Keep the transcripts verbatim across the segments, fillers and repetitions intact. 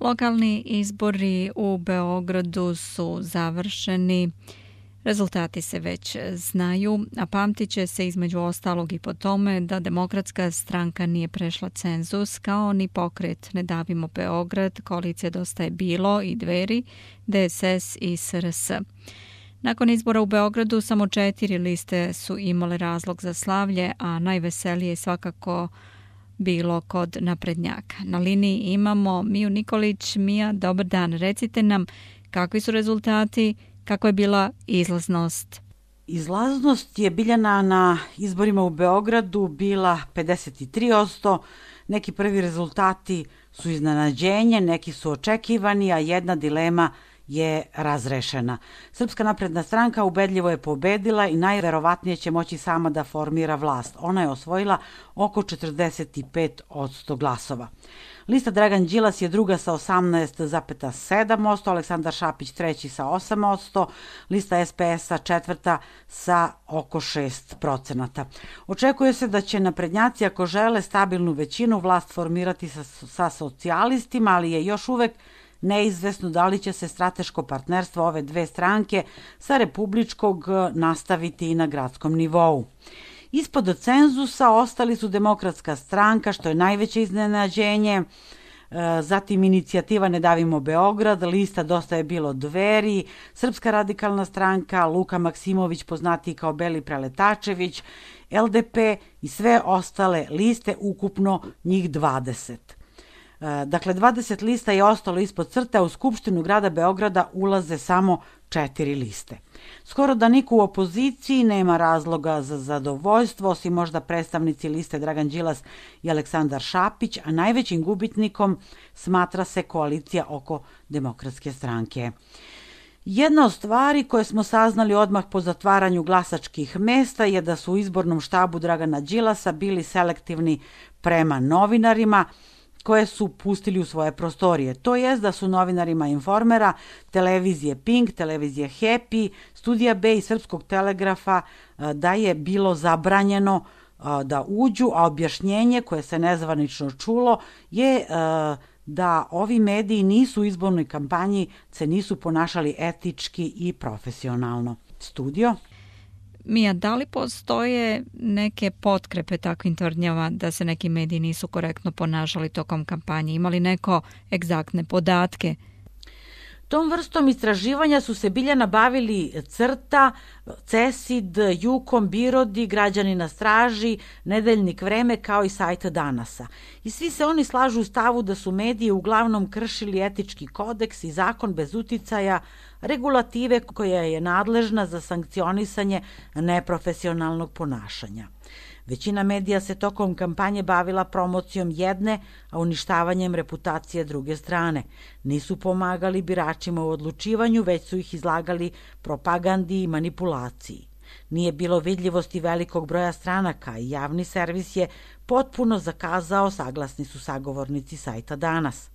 Lokalni izbori u Beogradu su završeni. Rezultati se već znaju, a pamtit će se između ostalog i po tome da Demokratska stranka nije prešla cenzus, kao ni pokret Ne davimo Beograd, koalicija Dosta je bilo i Dveri, D S S i S R S. Nakon izbora u Beogradu samo četiri liste su imale razlog za slavlje, a najveselije je svakako bilo kod naprednjaka. Na liniji imamo Miju Nikolić. Mija, dobar dan. Recite nam kakvi su rezultati, kako je bila izlaznost? Izlaznost je Biljana na izborima u Beogradu bila pedeset tri posto. Neki prvi rezultati su iznenađenje, neki su očekivani, a jedna dilema je razrešena. Srpska napredna stranka ubedljivo je pobedila i najverovatnije će moći sama da formira vlast. Ona je osvojila oko četrdeset pet posto glasova. Lista Dragan Đilas je druga sa osamnaest zarez sedam posto, Aleksandar Šapić treći sa osam posto, lista S P S-a četvrta sa oko šest procenata. Očekuje se da će naprednjaci, ako žele stabilnu većinu, vlast formirati sa, sa socijalistima, ali je još uvek neizvesno da li će se strateško partnerstvo ove dve stranke sa republičkog nastaviti i na gradskom nivou. Ispod cenzusa ostali su Demokratska stranka, što je najveće iznenađenje, zatim inicijativa Ne davimo Beograd, lista Dosta je bilo Dveri, Srpska radikalna stranka, Luka Maksimović poznatiji kao Beli Preletačević, L D P i sve ostale liste, ukupno njih dvadeset. Dakle, dvadeset lista je ostalo ispod crte, a u Skupštinu grada Beograda ulaze samo četiri liste. Skoro da niko u opoziciji nema razloga za zadovoljstvo, osim možda predstavnici liste Dragan Đilas i Aleksandar Šapić, a najvećim gubitnikom smatra se koalicija oko Demokratske stranke. Jedna od stvari koje smo saznali odmah po zatvaranju glasačkih mesta je da su u izbornom štabu Dragana Đilasa bili selektivni prema novinarima koje su pustili u svoje prostorije. To jest da su novinarima Informera, televizije Pink, televizije Happy, Studija B i Srpskog telegrafa da je bilo zabranjeno da uđu, a objašnjenje koje se nezvanično čulo je da ovi mediji nisu u izbornoj kampanji, se nisu ponašali etički i profesionalno. Studio? Mija, da li postoje neke potkrepe takvim tvrdnjama da se neki mediji nisu korektno ponašali tokom kampanje? Imali neko egzaktne podatke? Tom vrstom istraživanja su se Biljana bavili Crta, Cesid, Jukom, Birodi, Građani na straži, Nedeljnik Vreme kao i sajt Danasa. I svi se oni slažu u stavu da su mediji uglavnom kršili etički kodeks i zakon bez uticaja regulative koja je nadležna za sankcionisanje neprofesionalnog ponašanja. Većina medija se tokom kampanje bavila promocijom jedne, a uništavanjem reputacije druge strane. Nisu pomagali biračima u odlučivanju, već su ih izlagali propagandi i manipulaciji. Nije bilo vidljivosti velikog broja stranaka i javni servis je potpuno zakazao, saglasni su sagovornici sajta Danas.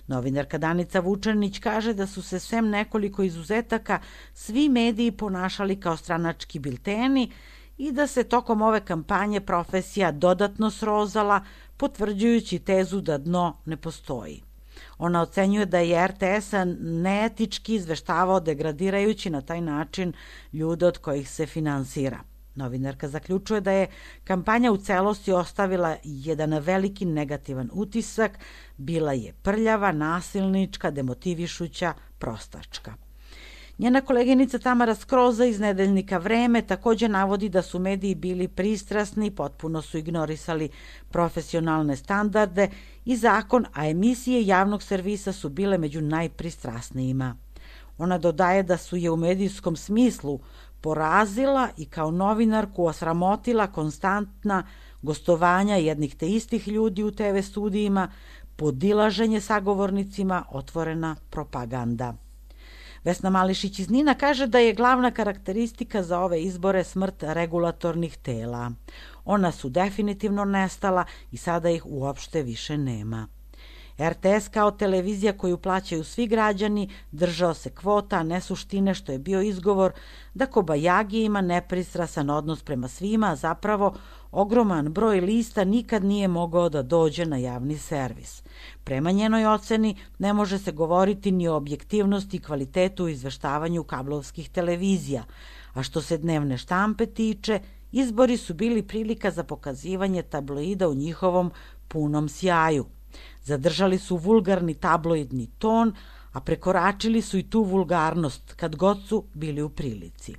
Novinarka Danica Vučanić kaže da su se sem nekoliko izuzetaka svi mediji ponašali kao stranački bilteni i da se tokom ove kampanje profesija dodatno srozala, potvrđujući tezu da dno ne postoji. Ona ocenjuje da je R T S neetički izveštavao, degradirajući na taj način ljude od kojih se finansira. Novinarka zaključuje da je kampanja u celosti ostavila jedan veliki negativan utisak, bila je prljava, nasilnička, demotivišuća, prostačka. Njena koleginica Tamara Skroza iz Nedeljnika Vreme također navodi da su mediji bili pristrasni, potpuno su ignorisali profesionalne standarde i zakon, a emisije javnog servisa su bile među najpristrasnijima. Ona dodaje da su je u medijskom smislu porazila i kao novinarku osramotila konstantna gostovanja jednih te istih ljudi u te ve studijima, podilaženje sagovornicima, otvorena propaganda. Vesna Mališić iz Nina kaže da je glavna karakteristika za ove izbore smrt regulatornih tela. Ona su definitivno nestala i sada ih uopšte više nema. er te es kao televizija koju plaćaju svi građani držao se kvota, a ne suštine, što je bio izgovor da Kobajagi ima nepristrasan odnos prema svima, a zapravo ogroman broj lista nikad nije mogao da dođe na javni servis. Prema njenoj oceni ne može se govoriti ni o objektivnosti i kvalitetu u izveštavanju kablovskih televizija, a što se dnevne štampe tiče, izbori su bili prilika za pokazivanje tabloida u njihovom punom sjaju. Zadržali su vulgarni tabloidni ton, a prekoračili su i tu vulgarnost kad god su bili u prilici.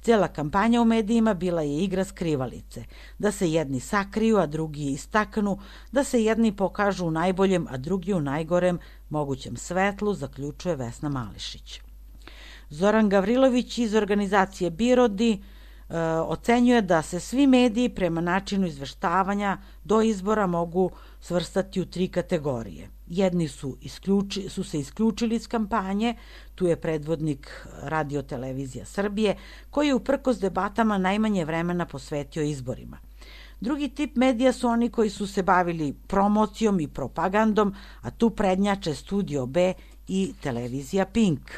Cijela kampanja u medijima bila je igra skrivalice, da se jedni sakriju, a drugi istaknu, da se jedni pokažu u najboljem, a drugi u najgorem mogućem svetlu, zaključuje Vesna Mališić. Zoran Gavrilović iz organizacije Birodi e, ocenjuje da se svi mediji prema načinu izveštavanja do izbora mogu svrstati u tri kategorije. Jedni su, isključi, su se isključili iz kampanje, tu je predvodnik Radio Televizija Srbije, koji je uprkos debatama najmanje vremena posvetio izborima. Drugi tip medija su oni koji su se bavili promocijom i propagandom, a tu prednjače Studio B i Televizija Pink.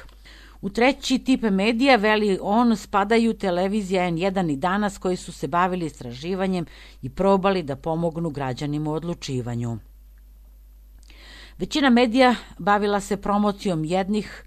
U treći tip medija, veli on, spadaju televizija en jedan i Danas, koji su se bavili istraživanjem i probali da pomognu građanima u odlučivanju. Većina medija bavila se promocijom jednih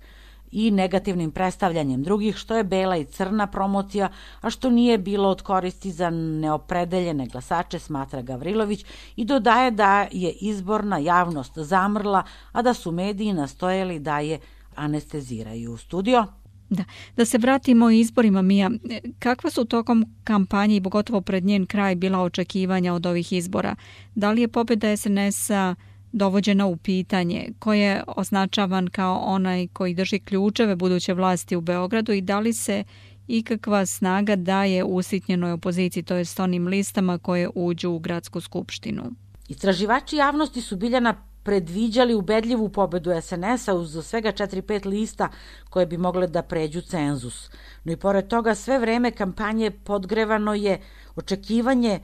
i negativnim predstavljanjem drugih, što je bela i crna promocija, a što nije bilo od koristi za neopredeljene glasače, smatra Gavrilović, i dodaje da je izborna javnost zamrla, a da su mediji nastojali da je anesteziraju. Studio? Da, da se vratimo izborima, Mija. Kakva su tokom kampanje i pogotovo pred njen kraj bila očekivanja od ovih izbora? Da li je pobjeda es en es-a dovođena u pitanje, ko je označavan kao onaj koji drži ključeve buduće vlasti u Beogradu i da li se ikakva snaga daje usitnjenoj opoziciji, to jest onim listama koje uđu u gradsku skupštinu? Istraživači javnosti su Biljana predviđali ubedljivu pobedu es en es-a uz svega četiri pet lista koje bi mogle da pređu cenzus. No i pored toga sve vreme kampanje podgrevano je očekivanje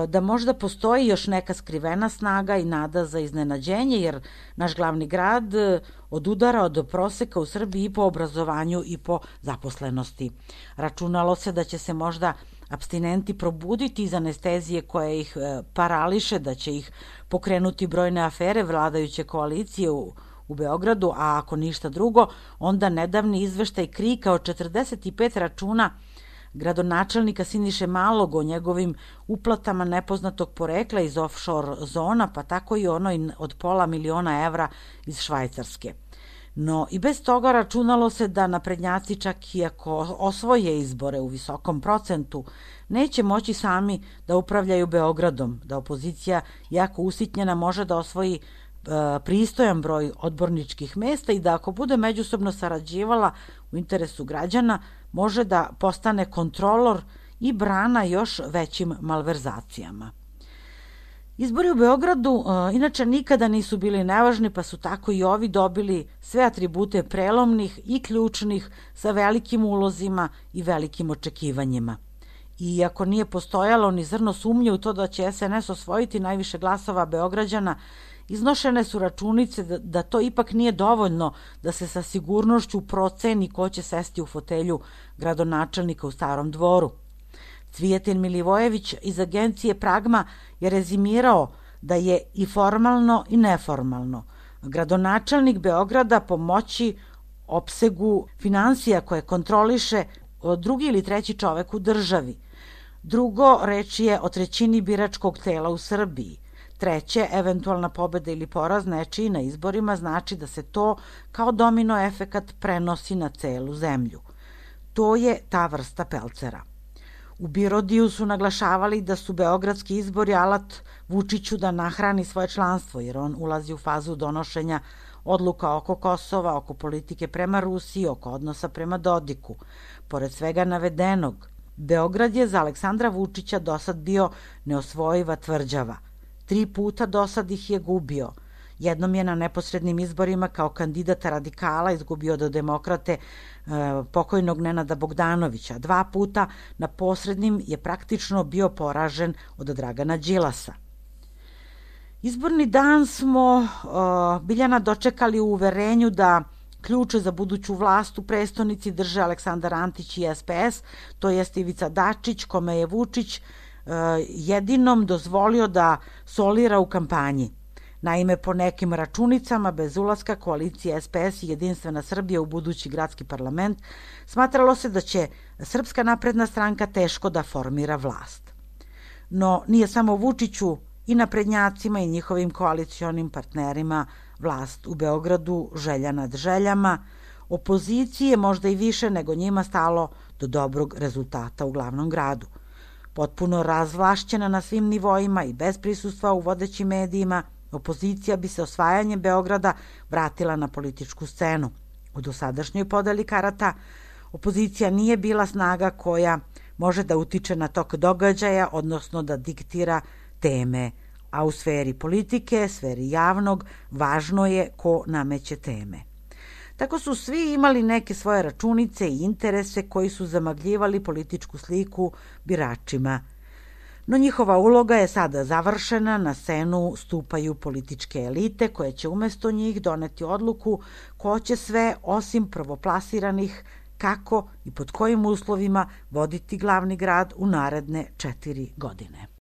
da možda postoji još neka skrivena snaga i nada za iznenađenje, jer naš glavni grad odudara od proseka u Srbiji i po obrazovanju i po zaposlenosti. Računalo se da će se možda apstinenti probuditi iz anestezije koja ih parališe, da će ih pokrenuti brojne afere vladajuće koalicije u, u Beogradu, a ako ništa drugo, onda nedavni izveštaj KRIK-a od četrdeset pet računa gradonačelnika Siniše Malog o njegovim uplatama nepoznatog porekla iz offshore zona, pa tako i onoj od pola miliona evra iz Švajcarske. No i bez toga računalo se da naprednjaci, čak i ako osvoje izbore u visokom procentu, neće moći sami da upravljaju Beogradom, da opozicija, jako usitnjena, može da osvoji e, pristojan broj odborničkih mesta i da ako bude međusobno sarađivala u interesu građana, može da postane kontrolor i brana još većim malverzacijama. Izbori u Beogradu e, inače nikada nisu bili nevažni, pa su tako i ovi dobili sve atribute prelomnih i ključnih sa velikim ulozima i velikim očekivanjima. I ako nije postojalo ni zrno sumnje u to da će es en es osvojiti najviše glasova Beograđana, iznošene su računice da, da to ipak nije dovoljno da se sa sigurnošću proceni ko će sesti u fotelju gradonačelnika u Starom dvoru. Cvijetin Milivojević iz agencije Pragma je rezimirao da je i formalno i neformalno gradonačelnik Beograda po moći, opsegu finansija koje kontroliše drugi ili treći čovek u državi. Drugo, reč je o trećini biračkog tela u Srbiji. Treće, eventualna pobeda ili poraz nečiji na izborima znači da se to kao domino efekat prenosi na celu zemlju. To je ta vrsta pelcera. U Birodiju su naglašavali da su beogradski izbori alat Vučiću da nahrani svoje članstvo, jer on ulazi u fazu donošenja odluka oko Kosova, oko politike prema Rusiji, oko odnosa prema Dodiku. Pored svega navedenog, Beograd je za Aleksandra Vučića dosad bio neosvojiva tvrđava. Tri puta dosad ih je gubio. Jednom je na neposrednim izborima kao kandidata radikala izgubio do demokrate e, pokojnog Nenada Bogdanovića. Dva puta na posrednim je praktično bio poražen od Dragana Đilasa. Izborni dan smo uh, Biljana dočekali u uverenju da ključe za buduću vlast u prestonici drže Aleksandar Antić i S P S, to jest Ivica Dačić, kome je Vučić uh, jedinom dozvolio da solira u kampanji. Naime, po nekim računicama, bez ulaska koalicije S P S i Jedinstvena Srbija u budući gradski parlament, smatralo se da će Srpska napredna stranka teško da formira vlast. No, nije samo Vučiću i naprednjacima i njihovim koalicionim partnerima vlast u Beogradu želja nad željama, opoziciji je možda i više nego njima stalo do dobrog rezultata u glavnom gradu. Potpuno razvlašćena na svim nivoima i bez prisustva u vodećim medijima, opozicija bi se osvajanjem Beograda vratila na političku scenu. U dosadašnjoj podeli karata opozicija nije bila snaga koja može da utiče na tok događaja, odnosno da diktira teme, a u sferi politike, sferi javnog, važno je ko nameće teme. Tako su svi imali neke svoje računice i interese koji su zamagljivali političku sliku biračima. No njihova uloga je sada završena, na scenu stupaju političke elite koje će umesto njih doneti odluku ko će sve, osim prvoplasiranih, kako i pod kojim uslovima voditi glavni grad u naredne četiri godine.